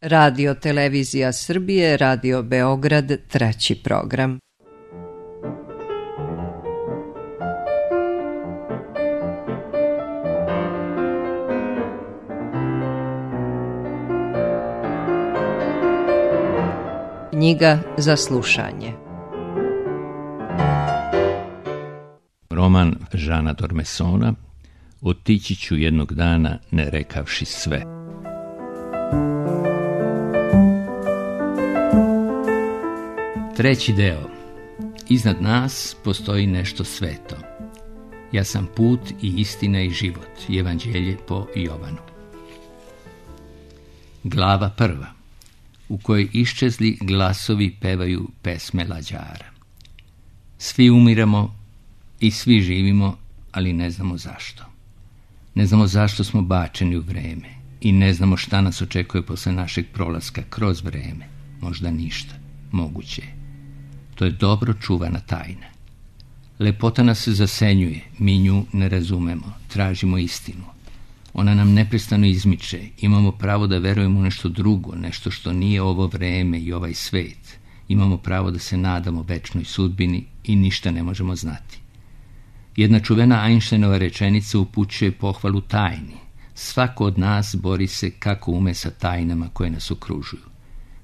Radio Televizija Srbije, Radio Beograd, 3. program. Knjiga za slušanje. Roman Žana Dormesona Otići ću jednog dana ne rekavši sve. Treći deo. Iznad nas postoji nešto sveto. Ja sam put i istina i život. Evanđelje po Jovanu. Glava prva, u kojoj iščezli glasovi pevaju pesme lađara. Svi umiramo i svi živimo, ali ne znamo zašto. Ne znamo zašto smo bačeni u vreme i ne znamo šta nas očekuje posle našeg prolaska kroz vreme. Možda ništa. Moguće je. To je dobro čuvana tajna. Lepota nas zasenjuje, mi nju ne razumemo, tražimo istinu. Ona nam neprestano izmiče, imamo pravo da verujemo u nešto drugo, nešto što nije ovo vreme i ovaj svet. Imamo pravo da se nadamo večnoj sudbini i ništa ne možemo znati. Jedna čuvena Einsteinova rečenica upućuje pohvalu tajni. Svako od nas bori se kako ume sa tajnama koje nas okružuju.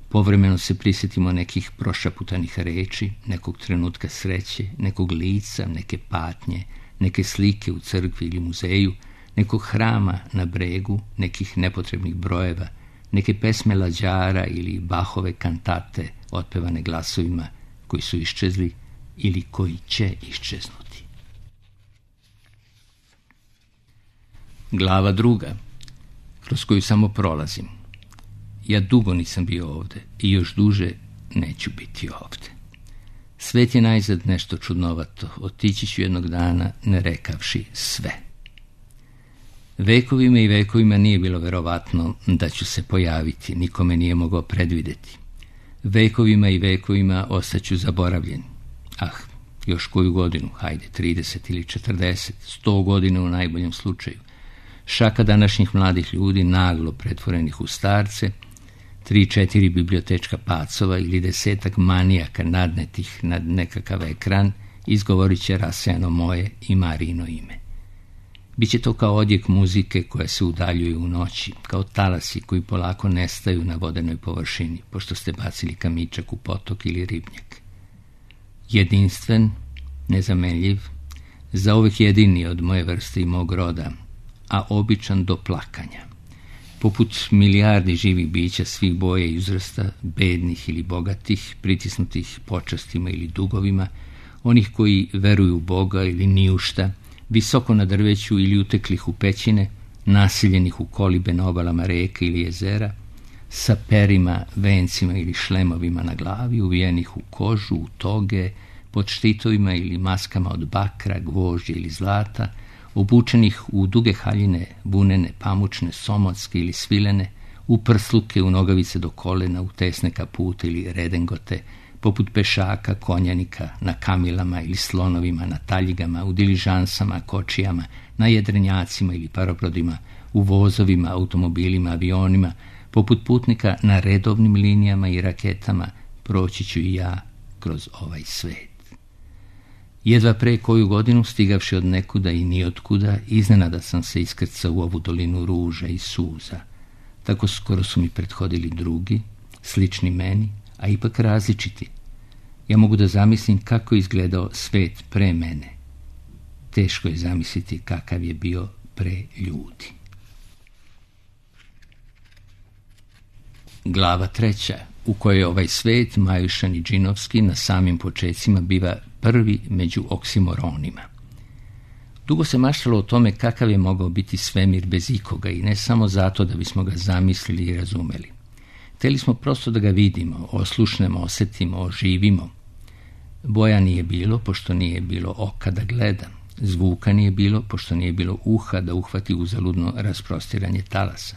Povremeno se prisjetimo nekih prošaputanih reči, nekog trenutka sreće, nekog lica, neke patnje, neke slike u crkvi ili muzeju, nekog hrama na bregu, nekih nepotrebnih brojeva, neke pesme lađara ili Bachove kantate otpevane glasovima koji su iščezli ili koji će iščeznuti. Glava druga, kroz koju samo prolazim. Ja dugo nisam bio ovde i još duže neću biti ovde. Svet je najzad nešto čudnovato, otići ću jednog dana ne rekavši sve. Vekovima i vekovima nije bilo verovatno da ću se pojaviti, nikome nije mogao predvideti. Vekovima i vekovima ostaću zaboravljen. Još koju godinu, hajde, 30 ili 40, 100 godina u najboljem slučaju. Šaka današnjih mladih ljudi, naglo pretvorenih u starce, 3-4 bibliotečka pacova ili 10 manijaka nadnetih nad nekakav ekran, izgovorit će rasejano moje i Marino ime. Biće to kao odjek muzike koja se udaljuje u noći, kao talasi koji polako nestaju na vodenoj površini, pošto ste bacili kamičak u potok ili ribnjak. Jedinstven, nezamenljiv, zauvek jedini od moje vrste i mog roda, a običan do plakanja. Poput milijardi živih bića svih boja i uzrasta, bednih ili bogatih, pritisnutih počastima ili dugovima, onih koji veruju u Boga ili ni u šta, visoko na drveću ili uteklih u pećine, nasiljenih u kolibe na obalama reka ili jezera, sa perima, vencima ili šlemovima na glavi, uvijenih u kožu, u toge, pod štitovima ili maskama od bakra, gvožđa ili zlata, obučenih u duge haljine, vunene, pamučne, somotske ili svilene, u prsluke, u nogavice do kolena, u tesne kapute ili redengote, poput pešaka, konjanika, na kamilama ili slonovima, na taljigama, u diližansama, kočijama, na jedrenjacima ili parobrodima, u vozovima, automobilima, avionima, poput putnika na redovnim linijama i raketama, proći ću i ja kroz ovaj svet. Jedva pre koju godinu, stigavši od nekuda i nijotkuda, iznenada sam se iskrcao u ovu dolinu ruža i suza. Tako skoro su mi prethodili drugi, slični meni, a ipak različiti. Ja mogu da zamislim kako je izgledao svet pre mene. Teško je zamisliti kakav je bio pre ljudi. Glava treća, u kojoj ovaj svet, Majušan i Džinovski, na samim počecima biva prvi među oksimoronima. Dugo se maštalo o tome kakav je mogao biti svemir bez ikoga i ne samo zato da bismo ga zamislili i razumeli. Hteli smo prosto da ga vidimo, oslušnemo, osetimo, oživimo. Boja nije bilo, pošto nije bilo oka da gleda. Zvuka nije bilo, pošto nije bilo uha da uhvati uzaludno rasprostiranje talasa.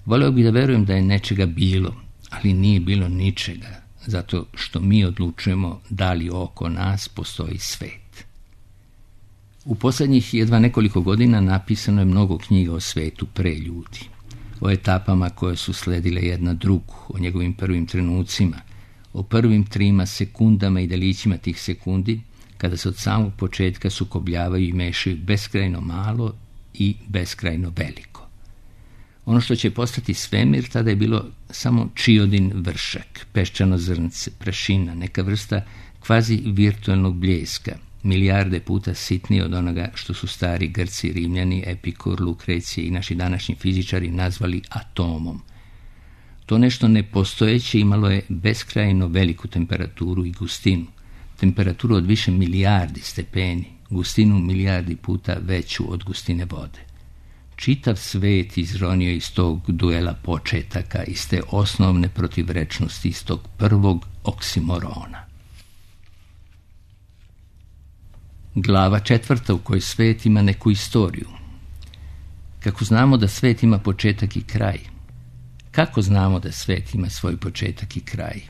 Voleo bih da verujem da je nečega bilo, ali nije bilo ničega, zato što mi odlučujemo da li oko nas postoji svet. U poslednjih jedva nekoliko godina napisano je mnogo knjiga o svetu pre ljudi. o etapama koje su sledile jedna drugu, o njegovim prvim trenucima, o prvim 3 sekundama i delićima tih sekundi, kada se od samog početka sukobljavaju i mešaju beskrajno malo i beskrajno veliko. Ono što će postati svemir tada je bilo samo čiodin vršak, peščano zrnce, prašina, neka vrsta kvazi virtualnog bljeska, milijarde puta sitnije od onoga što su stari Grci, Rimljani, Epikur, Lukrecije i naši današnji fizičari nazvali atomom. To nešto nepostojeće imalo je beskrajno veliku temperaturu i gustinu, temperaturu od više milijardi stepeni, gustinu milijardi puta veću od gustine vode. Čitav svet izronio iz tog duela početaka, iz te osnovne protivrečnosti, iz tog prvog oksimorona. Glava 4. u kojoj svet ima neku istoriju. Kako znamo da svet ima početak i kraj? Kako znamo da svet ima svoj početak i kraj?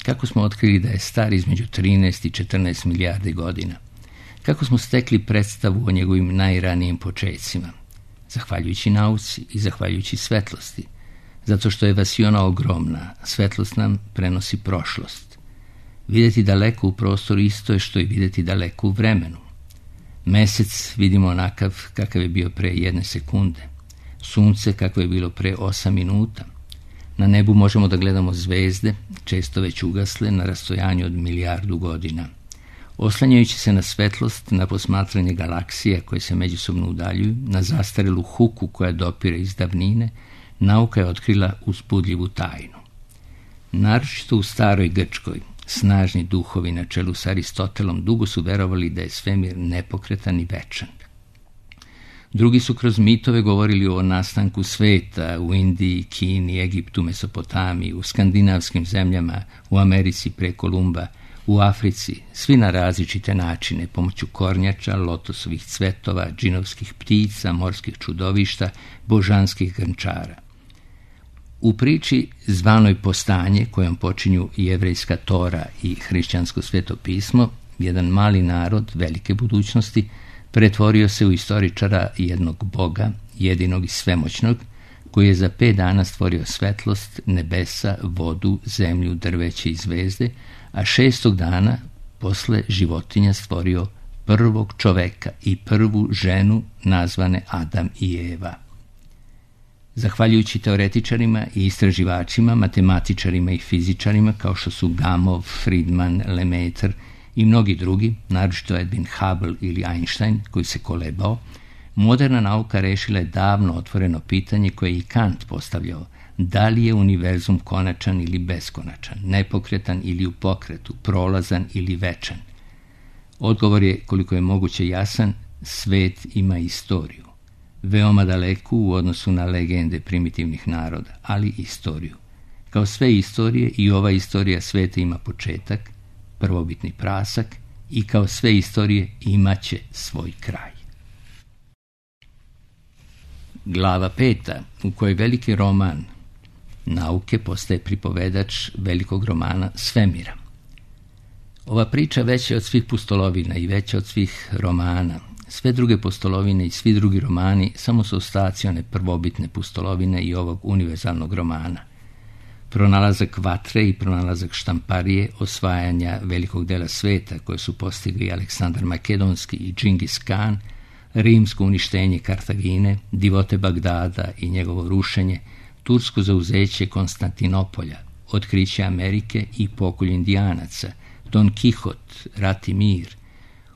Kako smo otkrili da je star između 13 i 14 milijardi godina? Kako smo stekli predstavu o njegovim najranijim počecima? Zahvaljujući nauci i zahvaljujući svetlosti. Zato što je vasiona ogromna, svetlost nam prenosi prošlost. Vidjeti daleko u prostoru isto je što i vidjeti daleko u vremenu. Mesec vidimo onakav kakav je bio pre 1 sekunde. Sunce kakvo je bilo pre 8 minuta. Na nebu možemo da gledamo zvezde, često već ugasle, na rastojanju od milijardu godina. Oslanjajući se na svetlost, na posmatranje galaksija koje se međusobno udaljuju, na zastarelu huku koja dopire iz davnine, nauka je otkrila uzbudljivu tajnu. Naročito u staroj Grčkoj, snažni duhovi na čelu s Aristotelom dugo su verovali da je svemir nepokretan i večan. Drugi su kroz mitove govorili o nastanku sveta u Indiji, Kini, Egiptu, Mesopotamiji, u skandinavskim zemljama, u Americi pre Kolumba, u Africi, svi na različite načine, pomoću kornjača, lotosovih cvetova, džinovskih ptica, morskih čudovišta, božanskih grnčara. U priči zvanoj Postanje, kojom počinju jevrejska Tora i hrišćansko sveto pismo, jedan mali narod velike budućnosti pretvorio se u istoričara jednog Boga, jedinog i svemoćnog, koji je za 5 dana stvorio svetlost, nebesa, vodu, zemlju, drveće i zvezde, a 6. dana posle životinja stvorio prvog čoveka i prvu ženu nazvane Adam i Eva. Zahvaljujući teoretičarima i istraživačima, matematičarima i fizičarima kao što su Gamow, Friedman, Lemaitre i mnogi drugi, naročito Edwin Hubble ili Einstein, koji se kolebao, moderna nauka rešila je davno otvoreno pitanje koje je i Kant postavljao: da li je univerzum konačan ili beskonačan, nepokretan ili u pokretu, prolazan ili večan? Odgovor je, koliko je moguće jasan: svet ima istoriju. Veoma daleku u odnosu na legende primitivnih naroda, ali istoriju. Kao sve istorije, i ova istorija sveta ima početak, prvobitni prasak, i kao sve istorije imaće svoj kraj. Glava 5. u kojoj veliki roman nauke postaje pripovedač velikog romana svemira. Ova priča veća od svih pustolovina i veća od svih romana. Sve druge pustolovine i svi drugi romani samo su ostaci one prvobitne pustolovine i ovog univerzalnog romana. Pronalazak vatre i pronalazak štamparije, osvajanja velikog dela sveta koje su postigli Aleksandar Makedonski i Džingis Kan, rimsko uništenje Kartagine, divote Bagdada i njegovo rušenje, tursko zauzeće Konstantinopolja, otkriće Amerike i pokolj Indijanaca, Don Kihot, rat i mir,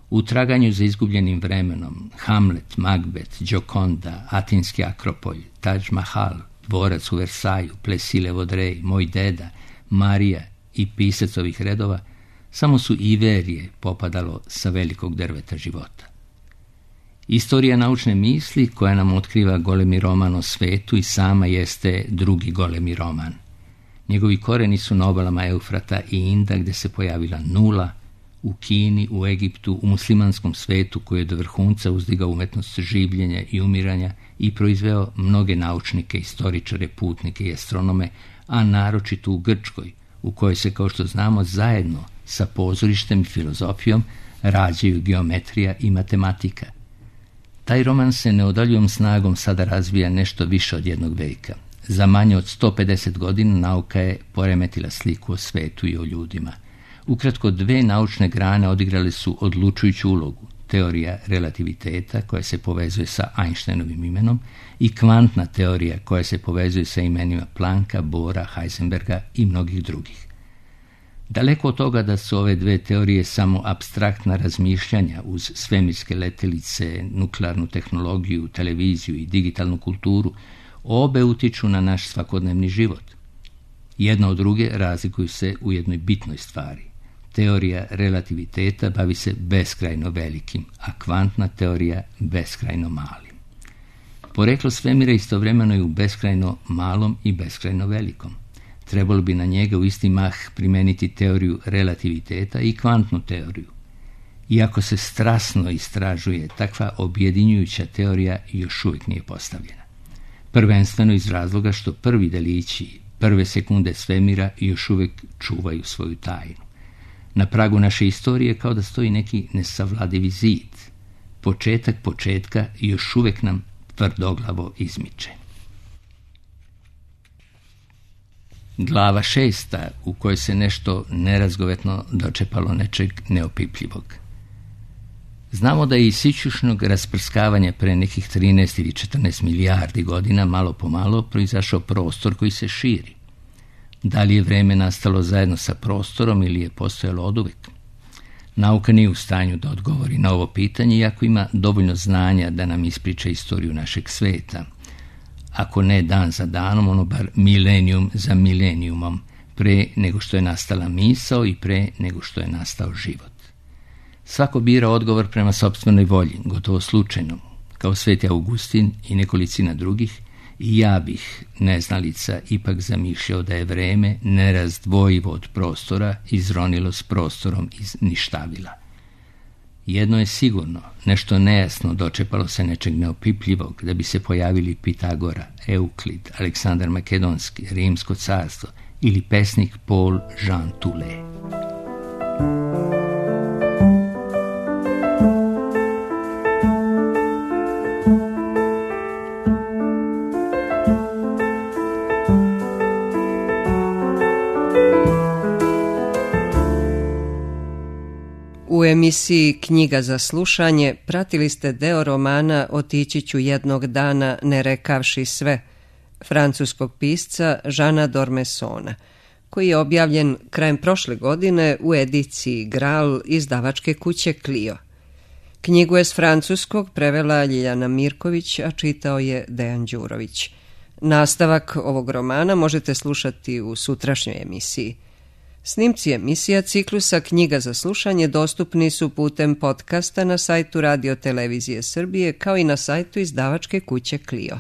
u traganju za izgubljenim vremenom, Hamlet, Macbeth, Gioconda, Atinski Akropolj, Taj Mahal, dvorac u Versaju, Plesile Vodrej, Moj deda, Marija i pisac ovih redova, samo su Iverije popadalo sa velikog drveta života. Istorija naučne misli koja nam otkriva golemi roman o svetu i sama jeste drugi golemi roman. Njegovi koreni su na obalama Eufrata i Inda, gde se pojavila nula, u Kini, u Egiptu, u muslimanskom svetu koji je do vrhunca uzdigao umetnost življenja i umiranja i proizveo mnoge naučnike, istoričare, putnike i astronome, a naročito u Grčkoj, u kojoj se, kao što znamo, zajedno sa pozorištem i filozofijom rađaju geometrija i matematika. Taj roman se neodoljivom snagom sada razvija nešto više od 1 veka. Za manje od 150 godina nauka je poremetila sliku o svetu i o ljudima. Ukratko, dve naučne grane odigrale su odlučujuću ulogu. Teorija relativiteta koja se povezuje sa Einsteinovim imenom i kvantna teorija koja se povezuje sa imenima Plancka, Bohra, Heisenberga i mnogih drugih. Daleko od toga da su ove dve teorije samo apstraktna razmišljanja uz svemirske letelice, nuklearnu tehnologiju, televiziju i digitalnu kulturu, obe utiču na naš svakodnevni život. Jedna od druge razlikuju se u jednoj bitnoj stvari. Teorija relativiteta bavi se beskrajno velikim, a kvantna teorija beskrajno malim. Poreklo svemira istovremeno je u beskrajno malom i beskrajno velikom. Trebalo bi na njega u isti mah primeniti teoriju relativiteta i kvantnu teoriju. Iako se strasno istražuje, takva objedinjujuća teorija još uvijek nije postavljena. Prvenstveno iz razloga što prvi delići, prve sekunde svemira još uvijek čuvaju svoju tajnu. Na pragu naše istorije kao da stoji neki nesavladivi zid. Početak početka još uvijek nam tvrdoglavo izmiče. Glava 6. u kojoj se nešto nerazgovetno dočepalo nečeg neopipljivog. Znamo da je iz sićušnog rasprskavanja pre nekih 13 ili 14 milijardi godina malo po malo proizašao prostor koji se širi. Da li je vreme nastalo zajedno sa prostorom ili je postojalo oduvek? Nauka nije u stanju da odgovori na ovo pitanje, iako ima dovoljno znanja da nam ispriča istoriju našeg sveta. Ako ne dan za danom, ono bar milenijum za milenijumom, pre nego što je nastala misao i pre nego što je nastao život. Svako bira odgovor prema sopstvenoj volji, gotovo slučajno, kao Sveti Augustin i nekolicina drugih, i ja bih, neznalica, ipak zamišljao da je vreme nerazdvojivo od prostora izronilo s prostorom iz ništavila. Jedno je sigurno, nešto nejasno dočepalo se nečeg neopipljivog, da bi se pojavili Pitagora, Euklid, Aleksandar Makedonski, Rimsko carstvo ili pesnik Paul Jean Toulet. U emisiji Knjiga za slušanje pratili ste deo romana Otići ću jednog dana ne rekavši sve, francuskog pisca Jeana d'Ormessona, koji je objavljen krajem prošle godine u ediciji Graal izdavačke kuće Clio. Knjigu je s francuskog prevela Ljiljana Mirković, a čitao je Dejan Đurović. Nastavak ovog romana možete slušati u sutrašnjoj emisiji. Snimci emisija ciklusa Knjiga za slušanje dostupni su putem podcasta na sajtu Radio Televizije Srbije kao i na sajtu izdavačke kuće Clio.